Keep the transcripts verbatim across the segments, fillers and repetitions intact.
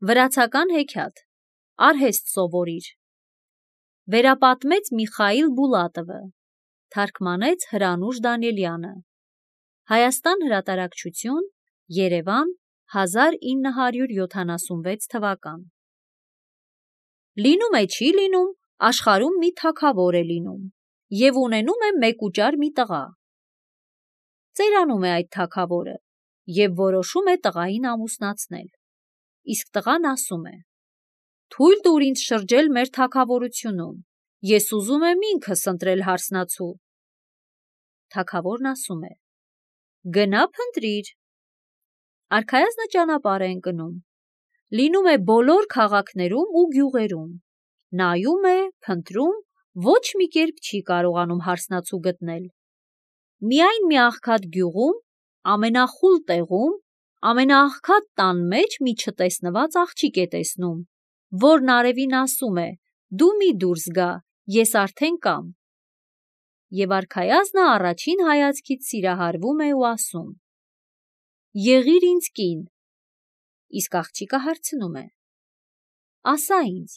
Վրացական հեքիաթ, արհեստ սովորիր։ Վերապատմեց Միխայիլ Բուլատովը, թարգմանեց Հրանուշ Դանիելյանը։ Հայաստան հրատարակչություն, Երևան, հազար ինը հարյուր յոթանասունվեց թվական։ Լինում է չի լինում, աշխարհում մի թագավոր է լինում, և ունենում է մեկուճար մի տղա։ Ծերանում է այդ թագավորը, և որոշում է տղային ամուսնացնել։ Իսկ տղան ասում է. «Թույլ տուր ինձ շրջել մեր թագավորությունում, ես ուզում եմ ինքս ընտրել հարսնացու»։ Թագավորն ասում է. «Գնա փնտրիր»։ Արքայազնը ճանապարհ է ընկնում, լինում է բոլոր քաղաքներում ու գյուղերում, նայում է, փնտրում, ոչ մի կերպ չի կարողանում հարսնացու գտնել։ Միայն մի աղքատ գյուղում, ամենախուլ տեղում, ամենաաղքատ տան մեջ մի չտեսնված աղջիկ է տեսնում, որն արևին ասում է. «Դու մի դուրս գա, ես արդեն կամ»։ Եվ արքայազնը առաջին հայացքից սիրահարվում է ու ասում. «Եղիր ինձ կին»։ Իսկ աղջիկը հարցնում է. «Ասա ինձ,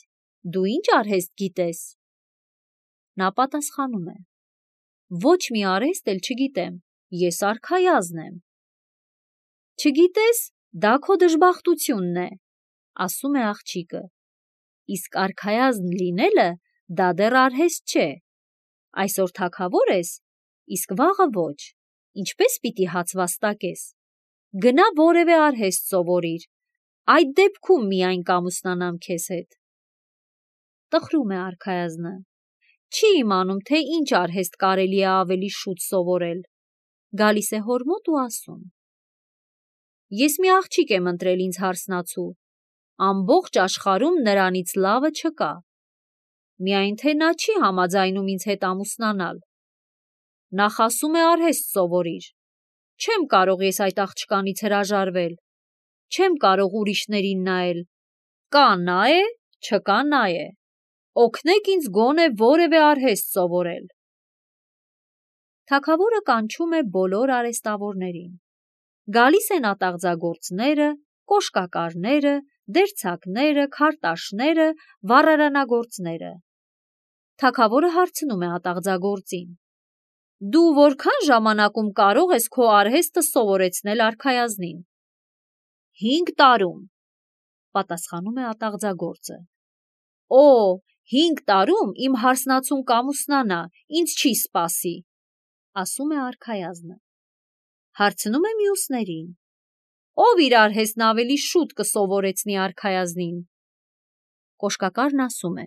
դու ի՞նչ արհեստ գիտես»։ Նա պատասխանում է. «Ոչ մի արհեստ էլ չգիտեմ, ես արքայազն եմ»։ «Չգիտես, դա քո դժբախտությունն է», ասում է աղջիկը, «իսկ արքայազն լինելը դա դեռ արհեստ չէ։ Այսօր թագավոր ես, իսկ վաղը ոչ, ինչպե՞ս պիտի հաց վաստակես։ Գնա որևէ արհեստ սովորիր, այդ դեպքում միայն կամուսնանամ քեզ հետ»։ Տխրում է արքայազնը, չի իմանում, թե ինչ արհեստ կարելի է ավելի շուտ սովորել։ Գալիս է հոր մոտ ու ասում. «Ես մի աղջիկ եմ ընտրել ինձ հարսնացու, ամբողջ աշխարհում նրանից լավը չկա, միայն թե նա չի համաձայնում ինձ հետ ամուսնանալ։ Նախ ասում է արհեստ սովորիր, չեմ կարող ես այդ աղջկանից հրաժարվել, չեմ կարող ուրիշներին նայել, կա նա է, չկա նա է, օգնեք ինձ գոնե որևէ արհեստ սովորել»։ Թագավորը կանչում է բոլոր արհեստավորներին։ Գալիս են ատաղձագործները, կոշկակարները, դերձակները, քարտաշները, վառարանագործները։ Թագավորը հարցնում է ատաղձագործին. «Դու որքան ժամանակում կարող ես քո արհեստը սովորեցնել արքայազնին»։ «Հինգ տարում», պատասխանում է ատաղձագործը։ «Օ, հինգ տարում իմ հարսնացուն կամուսնանա, ինձ չի սպասի», ասում է արքայազնը։ Հարցնում է մյուսներին. «Ով իր արհեստն ավելի շուտ կսովորեցնի արքայազնին»։ Կոշկակարն ասում է.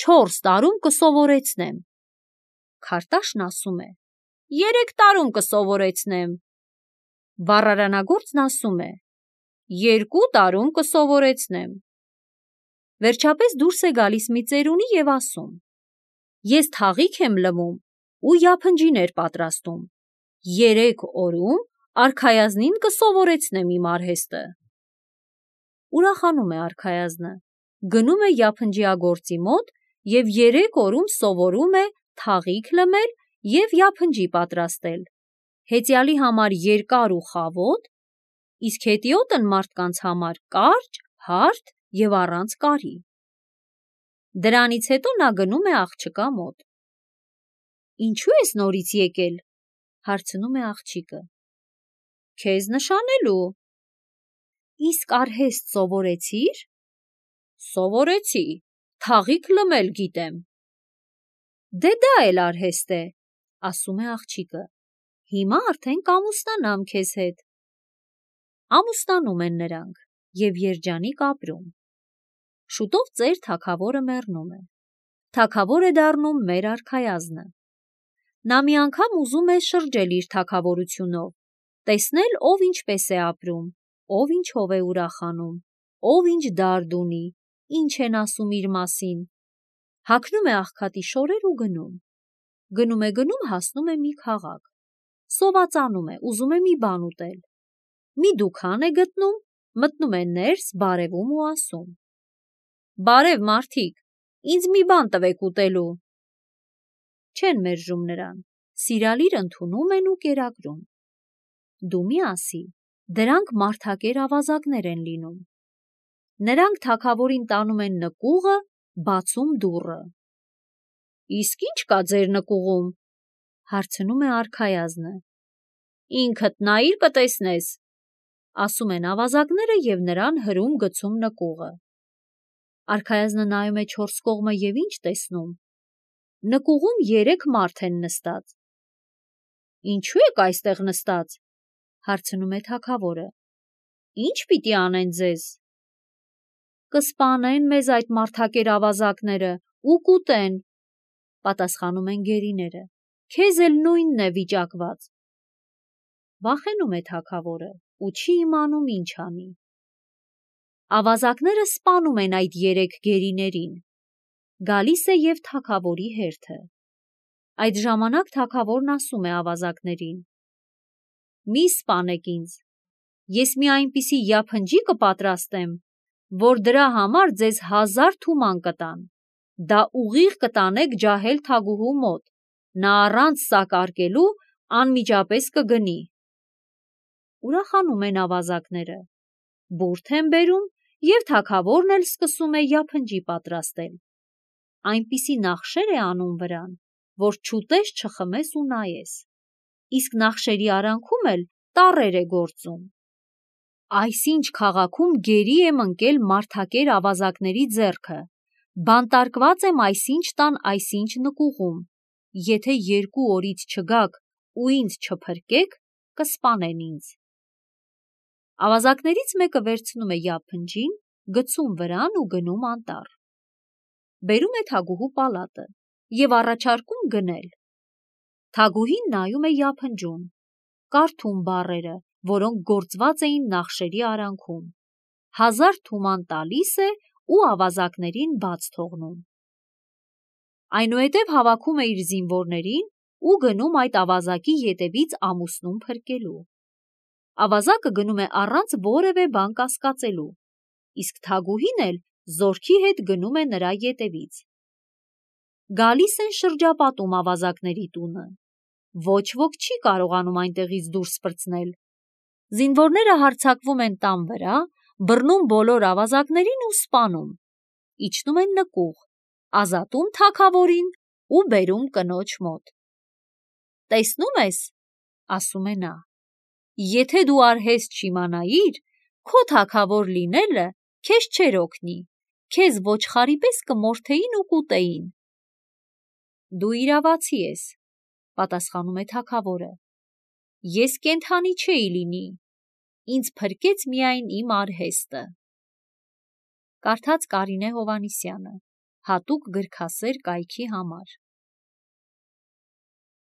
«Չորս տարում կսովորեցնեմ»։ Քարտաշն ասում է. «Երեք տարում կսովորեցնեմ»։ Վառարանագործն ասում է. «Երկու տարում կսովորեցնեմ»։ Վերջապես դուրս է գալիս մի ծերունի և ասում. «Ես թաղիկ եմ լմում ու յափնջիներ պատրաստում, երեք օրում արքայազնին կսովորեցնեմ իմ արհեստը»։ Ուրախանում է արքայազնը, գնում է յափնջիագործի մոտ և երեք օրում սովորում է թաղիկ լմել և յափնջի պատրաստել, հեծյալի համար երկար ու խավոտ, իսկ հետիոտն մարդկանց համար կարճ, հարթ և առանց կարի։ Դրանից հետո նա գնում է աղջկա մոտ։ «Ինչու ես նորից եկել»։ հարցնում է աղջիկը։ «Քեզ նշանելու»։ «Իսկ արհեստ սովորեցի՞ր»։ «Սովորեցի, թաղիկ լմել գիտեմ»։ «Դե դա էլ արհեստ է», ասում է աղջիկը, «հիմա արդեն կամուսնանամ քեզ հետ»։ Ամուսնանում են նրանք և երջանիկ ապրում։ Շուտով ծեր թագավորը մեռնում է։ Թագավոր է դառնում մեր արքայազնը։ Նա մի անգամ ուզում է շրջել իր թագավորությունով, տեսնել, ով ինչպես է ապրում, ով ինչով է ուրախանում, ով ինչ դարդ ունի, ինչ են ասում իր մասին։ Հագնում է աղքատի շորեր ու գնում։ Գնում է գնում, հասնում է մի քաղաք։ Սովածանում է, ուզում է մի բան ուտել։ Մի դուքան է գտնում, մտնում է ներս, բարևում ու ասում. «Բարև, մարդիկ, ինձ մի բան տվեք ուտելու»։ Չեն մերժում նրան, սիրալիր ընդունում են ու կերակրում։ Դու մի ասի, դրանք մարդակեր ավազակներ են լինում։ Նրանք թագավորին տանում են նկուղը, բացում դուռը։ Իսկ ի՞նչ կա ձեր նկուղում, հարցնում է արքայազնը։ Ինքդ նայիր կտեսնես, ասում են ավազակները և նրան հրում գցում նկուղը։ Արքայազնը նայում է չորս կողմը և ինչ տեսնում։ Նկուղում երեք մարդ են նստած։ Ինչու եք այստեղ նստած, հարցնում է թագավորը։ Ինչ պիտի անեն ձեզ։ Կսպանեն մեզ այդ մարդակեր ավազակները ու կուտեն, պատասխանում են գերիները, քեզ էլ նույնն է վիճակված։ Վախենում է թագավորը ու չի իմանում ինչ անի։ Ավազակները սպանում են այդ երեք գերիներին։ Գալիս է և թագավորի հերթը։ Այդ ժամանակ թագավորն ասում է ավազակներին. Մի սպանեք ինձ, ես մի այնպիսի յափնջի կպատրաստեմ, որ դրա համար ձեզ հազար թուման կտան, դա ուղիղ կտանեք ջահել թագուհու մոտ, նա առանց սակարկելու անմիջապես կգնի։ Ուրախանում են ավազակները, բուրդ են բերում և թագավորն էլ սկսում է յափնջի պատրաստել։ Այնպիսի նախշեր է անում վրան, որ չուտես, չխմես ու նայես, իսկ նախշերի արանքում էլ տառեր է գործում։ Այսինչ քաղաքում գերի եմ ընկել մարդակեր ավազակների ձեռքը, բանտարկված եմ այսինչ տան այսինչ նկուղում, եթե երկու օրից չգաք ու ինձ չփրկեք, կսպանեն ինձ։ Ավազակներից մեկը վերցնում է յափնջին, գցում վրան ու գնում անտառ։ Բերում է թագուհու պալատը և առաջարկում գնել։ Թագուհին նայում է յափնջուն, կարդում բառերը, որոնք գործված էին նախշերի արանքում, հազար թուման տալիս է ու ավազակներին բաց թողնում։ Այնուհետև հավաքում է իր զինվորներին ու գնում այդ ավազակի ետևից ամուսնուն փրկելու։ Ավազակը գնում է առանց որևէ բան կասկածելու, իսկ թագուհին էլ զորքի հետ գնում է նրա ետևից։ Գալիս են շրջապատում ավազակների տունը։ Ոչ ոք չի կարողանում այնտեղից դուրս պրծնել։ Զինվորները հարձակվում են տան վրա, բռնում բոլոր ավազակներին ու սպանում։ Իջնում են նկուղ, ազատում թագավորին ու բերում կնոջ մոտ։ Տեսնո՞ւմ ես, ասում է նա, եթե դու արհեստ չիմանայիր, քո թագավոր լինելը քեզ չէր օգնի, քեզ ոչխարի պես կմորթեին ու կուտեին։ Դու իրավացի ես, պատասխանում է թագավորը, ես կենդանի չէի լինի, ինձ փրկեց միայն իմ արհեստը։ Կարդաց Կարինե Հովհաննիսյանը, հատուկ գրքասեր կայքի համար։